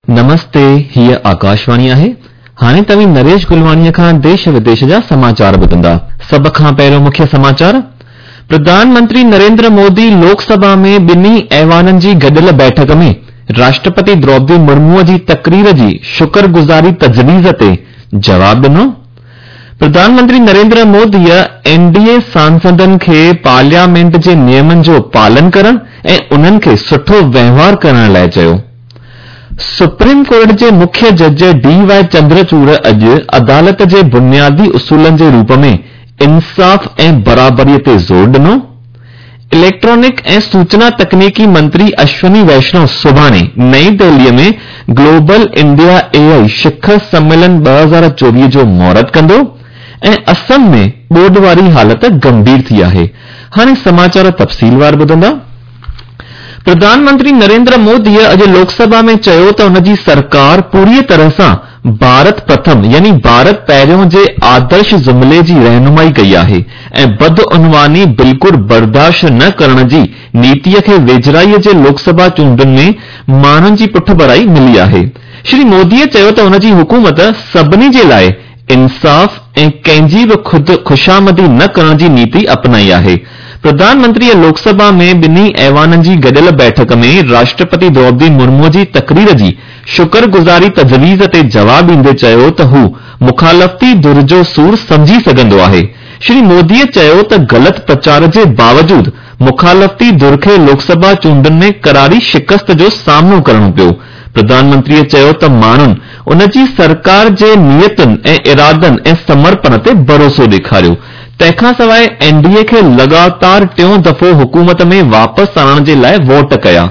نمستي، هيء آڪاشواڻي آهي. هاڻي توهين نريش گلواڻيء کان ديش وديش جا سماچار ٻڌندا. سڀ کان پهريون مکيه سماچار، پرڌان منتري نريندر مودي لوڪ سڀا ۾ ٻنهي ايوانن جي گڏيل بيٺڪ ۾ راشٽرپتي دروپدي مرموء جي تقرير جي شڪر گذاري تجويز تي جواب ڏنو. پرڌان منتري نريندر موديء اين ڊي اي سانسدن کي پارليامينٽ جي نيمن جو پالن ڪرڻ ۽ انهن کي سٺو وهنوار ڪرڻ لاء چيو. سپريم ڪورٽ جي مکيه جج ڊي وائي چندرچوڙ اڄ عدالت جي بنيادي اصولن جي روپ ۾ انصاف ۽ برابري تي زور ڏنو. اليڪٽرانڪ ۽ سوچنا تڪنيڪي منتري اشوني ويشنو سڀاڻي نئين دهلي ۾ گلوبل انڊيا اي آء شکر سميلن 2024 جو مهورت ڪندو ۽ اسم ۾ ٻوڏ واري حالت گنڀير ٿي آهي. هاڻي سماچار تفصيلوار ٻڌندا. پرڌان منتري نريندر موديء اڄ لوڪ سڀا ۾ چيو ته ان جي سرڪار پوريء طرح سان ڀارت پرٿم يعني ڀارت پهريون جي آدرش جملي جي رهنمائي ڪئي آهي ۽ بدعنواني بلڪل برداشت نه ڪرڻ جي نيتيء کي ويجهڙائيء جي لوڪ سڀا چونڊن ۾ ماڻهن جي پٺڀرائي ملي آهي. شري موديء چيو ته ان جي حڪومت سڀني جي لاء انصاف ۽ ڪنهن جي به خود خوشامدي نه ڪرڻ جي نيتي اپنائي آهي. پرڌان منتريء لوڪ سڀا ۾ ٻنهي ايوانن جي گڏيل بيٺڪ ۾ راشٽرپتي دروپدي مرموء جي تقرير جي شڪر گذاري تجويز تي جواب ڏيندي چيو ته هو مخالفتي ڌر جو سور سمجهي سگهندو آهي. شري موديء چيو ته غلط پرچار جي باوجود مخالفتي ڌر کي لوڪ سڀا چونڊن ۾ قراري شڪست جو سامنو ڪرڻو پيو. پرڌان منتريء چيو ته ماڻهن ان جي سرڪار جي نيتن ۽ ارادن ۽ سمرپڻ تي ڀروسو ڏيکاريو. تنهن کان سواء اين ڊي اي کي لڳاتار ٽيون دفعو حڪومت ۾ واپس آڻڻ جي لاء ووٽ ڪيا.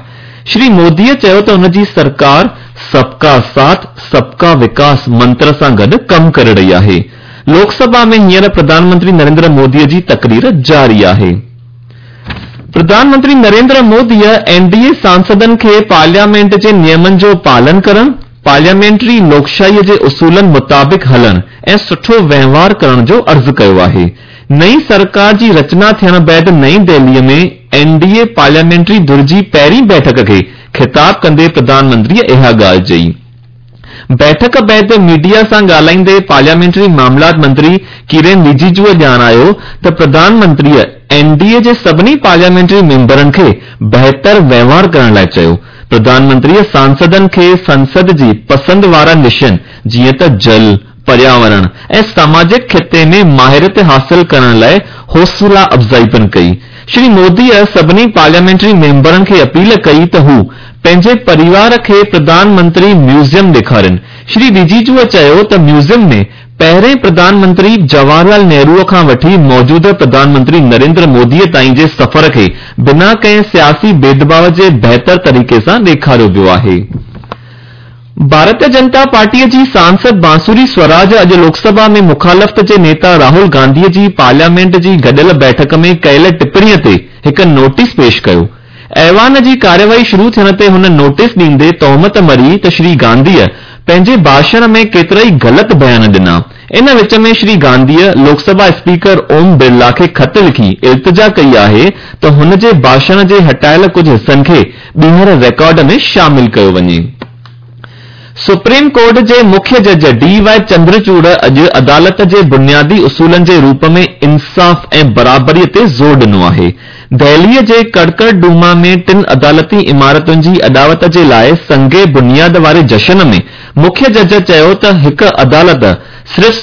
شري موديء چيو ته ان جي سرڪار سب ڪا ساٿ، سب ڪا وڪاس منتر سان گڏ ڪم ڪري رهي آهي. لوڪ سڀا ۾ هينئر پرڌان منتري نريندر موديء جي تقرير جاري آهي. پرڌان منتري نريندر موديء اين ڊي اي سانسدن کي پارليامينٽ جي نيمن جو پالن ڪرڻ، پارليامينٽري لوڪشاهيء جي اصولن مطابق هلڻ ۽ سٺو وهنوار ڪرڻ جو عرض ڪيو آهي. نئين سرڪار جي رچنا ٿيڻ بعد نئين دهليء ۾ اين ڊي اي پارليامينٽري ڌر جي پهرين بيٺڪ کي خطاب ڪندي پرڌان منتريء اها ڳالهه چئي. بيٺڪ بعد ميڊيا سان ڳالهائيندي پارليامينٽري معاملات منتري ڪيرين رجيجوء ڄاڻايو ته پرڌان منتريء اين ڊي اي جي سڀني پارليامينٽري ميمبرن کي بهتر وهنوار ڪرڻ لاء چيو. پرڌان منتريء سانسدن کي سنسد جي پسند وارن وشين جيئن ته جل، پرياورڻ ۽ ساماجڪ خطي ۾ ماهريت حاصل ڪرڻ لاء حوصلا افزائي پڻ ڪئي. شري موديء سڀني پارليامينٽري ميمبرن کي اپيل ڪئي ته هو پنهنجي پريوار کي پرڌان منتري ميوزيم ڏيکارين. شري رجيجوء چيو ته ميوزيم ۾ پهرين پرڌان منتري جواهر لال نهروء کان وٺي موجوده پرڌان منتري نريندر موديء تائين جي سفر کي بنا ڪنهن سياسي ڀيدڀاء جي بهتر طريقي سان ڏيکاريو ويو آهي. ڀارتيه جنتا پارٽيء جي سانسد بانسوري سوراج اڄ لوڪ سڀا ۾ مخالفت جي نيتا راهول گانڌيء جي پارليامينٽ جي گڏيل بيٺڪ ۾ ڪيل ٽپڻيء تي هڪ نوٽيس پيش ڪيو. ايوان جي ڪارروائي شروع ٿيڻ تي هن نوٽيس ڏيندي تهمت مڙهي ته شري گانڌيء پنهنجي ڀاشڻ ۾ ڪيترائي غلط بيان ڏنا. ان وچ ۾ شري گانڌيء لوڪ سڀا اسپيڪر اوم برلا کي خط لکي التجا ڪئي آهي ته هن جي ڀاشڻ جي هٽايل ڪجهه حصن کي ٻيهر ريڪارڊ ۾ شامل ڪيو وڃي. سپريم ڪورٽ جي مکيه جج ڊي وائي چندرچوڙ اڄ عدالت جي بنيادي اصولن جي روپ ۾ انصاف ۽ برابري تي زور ڏنو آهي. دهليء جي ڪڙڪڙ ڊوما ۾ ٽن عدالتي عمارتن جي اڏاوت جي لاء سنگ بنياد واري جشن ۾ مکيه جج چيو ته هڪ عدالت صرف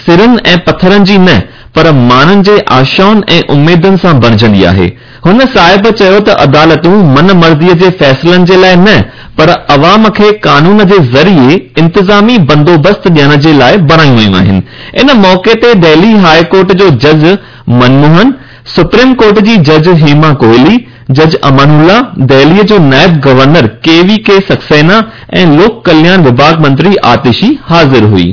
سرن ۽ پٿرن جي نه پر ماڻهن جي آشائن ۽ اميدن سان بڻجندي آهي. هن صاحب چيو ته عدالتون من مرضيء جي فيصلن جي لاء نه پر عوام کي قانون جي ذريعي انتظامي بندوبست ڏيڻ جي لاء بڻايون ويون آهن. ان موقعي تي دهلي هاء ڪورٽ جو جج منموهن، سپريم ڪورٽ جي جج هيما ڪوهلي، جج امان الله، دهليء جو نائب گورنر ڪي وي ڪي سڪسينا ۽ لوڪ ڪلياڻ وڀاڳ منتري آتشي حاضر هئي.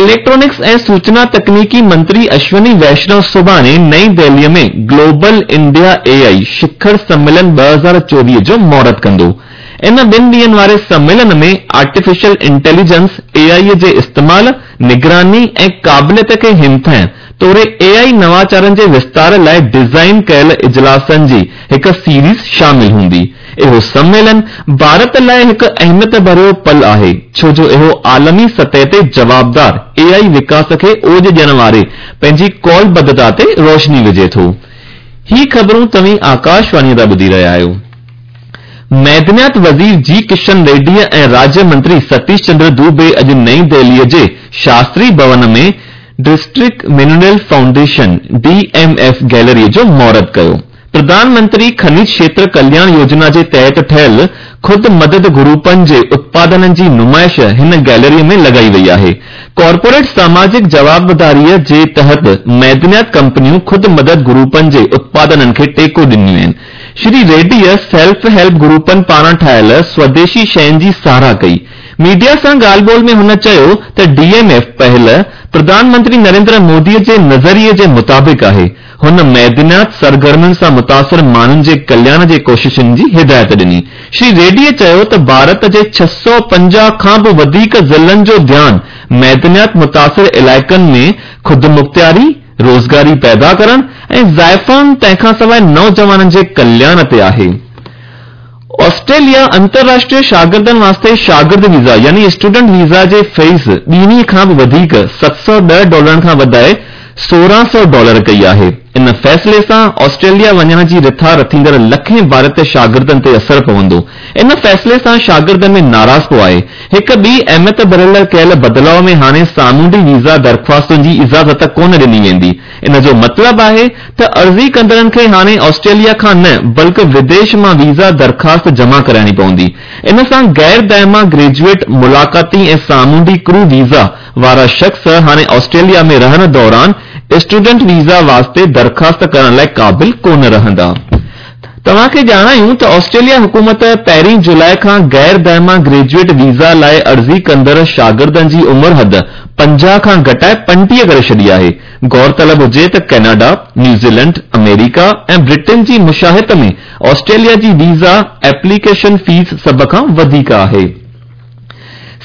اليڪٽرانڪس ۽ سوچنا تڪنيڪي منتري اشوني ويشنو سڀاڻي نئين دهليء ۾ گلوبل انڊيا اي آء شکر سميلن 2024 جو مهورت ڪندو. ان ٻن ڏينهن واري سميلن ۾ آرٽيفيشل انٽيليجنس، اي آء، جي استعمال، نگراني ۽ قابليت کي همٿائڻ توڙي اي آء نواچارن جي وستار لاء ڊيزائن ڪيل اجلاسن جي هڪ سيريز شامل هوندي. اهو سميلن ڀارت لاء هڪ اهميت ڀريو پل آهي ڇو جو اهو عالمي سطح تي جوابدار اي آء وڪاس کي اوڄ ڏيڻ واري پنهنجي قولبڌتا تي روشني وجهي ٿو. هي خبرون توهين آڪاشواڻيء تان ٻڌي رهيا آهيو. معدنيات وزير جي ڪشن ريڊيء ۽ راجيه منتري ستيش چندر دوبي اڄ نئين دهليء جي شاستري ڀون ۾ district mineral foundation, D M F, گيلريء جو مهورت ڪيو. پرڌان منتري کنج کيتر ڪلياڻ يوجنا جي تحت ٺهيل خود مدد گروپن جي اتپادنن جي نمائش هن گيلريء ۾ لڳائي وئي آهي. ڪارپوريٽ ساماجڪ جوابداريء جي تحت معدنيات ڪمپنيون خود مدد گروپن جي اتپادنن کي ٽيڪو ڏنيون آهن. شري ريڊيء سيلف هيلپ گروپن پاران ٺاهيل سوديشي شين جي ساراهه ڪئي. ميڊيا سان ڳالهه ٻولهه ۾ هن چيو ته D M F پهل Pradhan Mantri Narendra موديء جي نظريي جي مطابق آهي. هن معدنيات سرگرمين سان متاثر ماڻهن جي ڪلياڻ جي ڪوششن جي هدايت ڏني. شري ريڊيء چيو ته ڀارت جي 650 کان به وڌيڪ ضلعن جو ڌيان معدنيات متاثر علائقن ۾ خودمختياري، روزگاري پيدا ڪرڻ ۽ زائفائن تنهن کان سواء نوجوانن جي ڪلياڻ تي آهي. آسٽريليا انترراشٽريه شاگردن واسطي شاگرد ويزا يعني اسٽوڊنٽ ويزا جي فيس ٻيڻي کان به وڌيڪ 710 ڊالرن کان وڌائي 1600 ڊالر ڪئي آهي. ان فيصلي سان آسٽريليا وڃڻ جي رٿا رٿيندڙ لکين ڀارتي شاگردن تي اثر پوندو. ان فيصلي سان شاگردن ۾ ناراضپو آهي. هڪ ٻي اهميت ڀريل ڪيل بدلاء ۾ هاڻي سامونڊي ويزا درخواستن جي اجازت ڪونه ڏني ويندي. ان جو مطلب آهي ته عرضي ڪندڙن کي هاڻي آسٽريليا کان نه بلڪ وديش مان ويزا درخواست جمع ڪرائڻي پوندي. ان سان غير دائما گريجوئيٽ، ملاقاتي ۽ سامونڊي ڪرو ويزا وارا شخص هاڻي آسٽريليا ۾ رهڻ دوران اسٽوڊنٽ ويزا واسطي درخواست ڪرڻ لاء قابل ڪونه رهندا. توهان کي ڄاڻايون ته آسٽريليا حڪومت پهرين جولاء کان غير دائما گريجوئيٽ ويزا لاء عرضي ڪندڙ شاگردن جي عمر حد 50 کان گهٽائي 35 ڪري ڇڏي آهي. غور طلب هجي ته ڪئناڊا، نيوزيلينڊ، آمريڪا ۽ برٽن جي مشاهت ۾ آسٽريليا جي ويزا ايپليڪيشن فيس سڀ کان وڌيڪ آهي.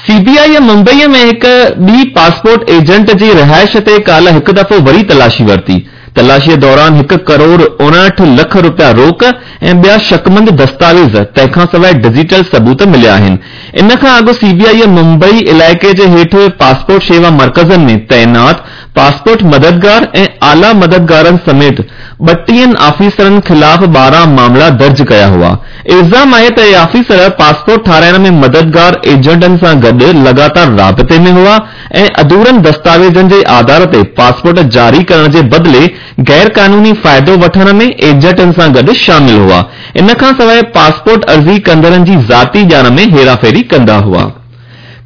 سي بي آء ممبئي ۾ هڪ ٻي پاسپورٽ ايجنٽ جي رهائش تي ڪالهه هڪ دفعو وري تلاشي ورتي. تلاشيء دوران هڪ ڪروڙ 59 لک رپيا روڪ ۽ ٻيا شڪمند دستاويز تنهن کانسواء ڊجيٽل ثبوت مليا آهن. ان کان اڳ سي بي آء ممبئي علائقي جي هيٺ پاسپورٽ شيوا مرڪزن ۾ تعينات پاسپورٽ مددگار ۽ اعليٰ مددگارن سميت ٻٽيهن آفيسرن خلاف 12 معاملا درج ڪيا هئا. الزام آهي ته اهي آفيسر پاسپورٽ ٺاراهڻ ۾ مددگار ايجنٽن سان گڏ لڳاتار رابطي ۾ هئا ۽ اڌورن دستاويزن جي آڌار تي پاسپورٽ جاري ڪرڻ جي بدلي غيرقانوني فائدو وٺڻ ۾ ايجنٽن سان گڏ شامل هئا. ان کانسواء پاسپورٽ عرضي ڪندڙن جي ذاتي ڄاڻ ۾ هيراڦيري ڪندا هئا.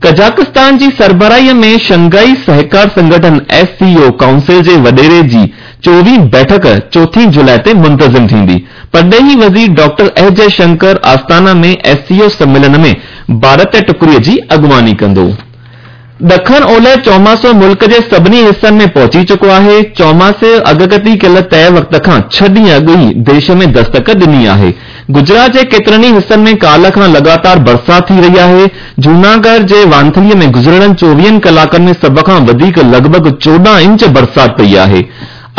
قزاقستان جي سربراهي ۾ شنگهائي سهڪار سنگٺن، ايس سي او، ڪائونسل جي وڏيري جي چوويهين بيٺڪ چوٿين جولاء تي منتظم ٿيندي. پرڏيهي وزير doctor S Jai Shankar Astana ۾ S C O سميلن ۾ ڀارتي ٽڪري جي اڳواڻي ڪندو. ڏکڻ اولهه چوماسو ملڪ جي سڀني حصن ۾ پهچي چڪو آهي. چوماسي اڳڪٿي ڪيل طئي وقت کان ڇهه ڏينهن اڳ ئي ديش ۾ دستڪ ڏني آهي. گجرات جي ڪيترن ئي حصن ۾ ڪالهه کان لڳاتار برسات ٿي رهي آهي. جوناڳڙهه جي وانٿلي ۾ گذريل چوويهن ڪلاڪن ۾ سڀ کان وڌيڪ لڳ ڀڳ 14 انچ برسات پئي آهي.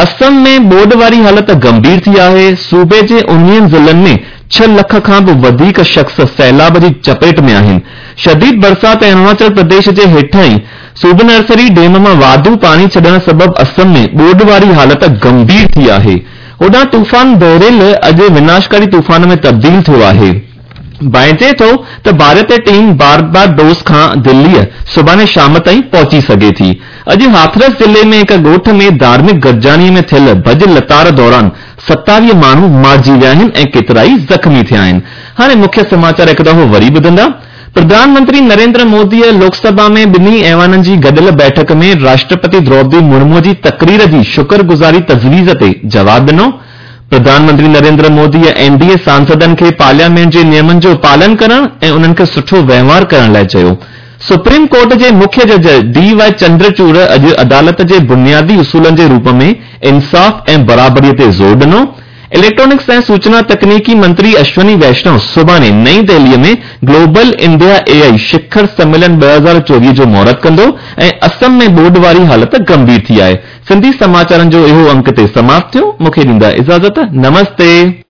اسم ۾ ٻوڏ واري حالت گنڀير ٿي آهي. صوبي جي اڻويهن ضلعن ۾ ڇهه لک کان به وڌيڪ شخص سيلاب جي چپيٽ ۾ آهن. شديد برسات ۽ اروناچل پرديش جي هيٺائين سوبنرسري ڊيم مان واڌو پاڻي ڇڏڻ سبب اسم ۾ ٻوڏ واري حالت گنڀير ٿي آهي. هوڏانهن طوفان بيريل اڄ وناشڪاري طوفان ۾ تبديل ٿيو آهي. ڀانئجي ٿو ته ڀارتي ٽيم بارباڊوس کان دليء سڀاڻي شام تائين پهچي سگهي ٿي. اڄ هاٿرس ضلعي ۾ هڪ ڳوٺ ۾ ڌارمڪ گڏجاڻي ۾ ٿيل ڀڄ لتاڙ دوران 27 ماڻهو مارجي ويا آهن ۽ ڪيترائي زخمي ٿيا آهن. هاڻي مکيه سماچار هڪ دفعو وري ٻڌندا. پرڌان منتري نريندر موديء لوڪ سڀا ۾ ٻنهي ايوانن جي گڏيل بيٺڪ ۾ راشٽرپتي دروپدي مرمو جي تقرير جي شڪر گذاري تجويز تي جواب ڏنو. پرڌان منتري نريندر موديء اين ڊي اي سانسدن کي پارليامينٽ جي نيمن جو پالن ڪرڻ ۽ انهن کي سٺو وهنوار ڪرڻ لاء چيو. سپريم ڪورٽ جي مکيه جج ڊي وائي چندرچوڙ اڄ عدالت جي بنيادي اصولن جي روپ ۾ انصاف ۽ برابري تي زور ڏنو. اليڪٽرانڪس ۽ سوچنا تڪنيڪي منتري اشوني ويشنو سڀاڻي نئين دهليء ۾ گلوبل انڊيا اي آء شکر سميلن 2024 جو مهورت ڪندو ۽ اسم ۾ ٻوڏ واري حالت گنڀير ٿي آهي. سنڌي سماچارن جو اهو انڪ هتي سماپت ٿيو. مون کي ڏيندا اجازت. نمستي.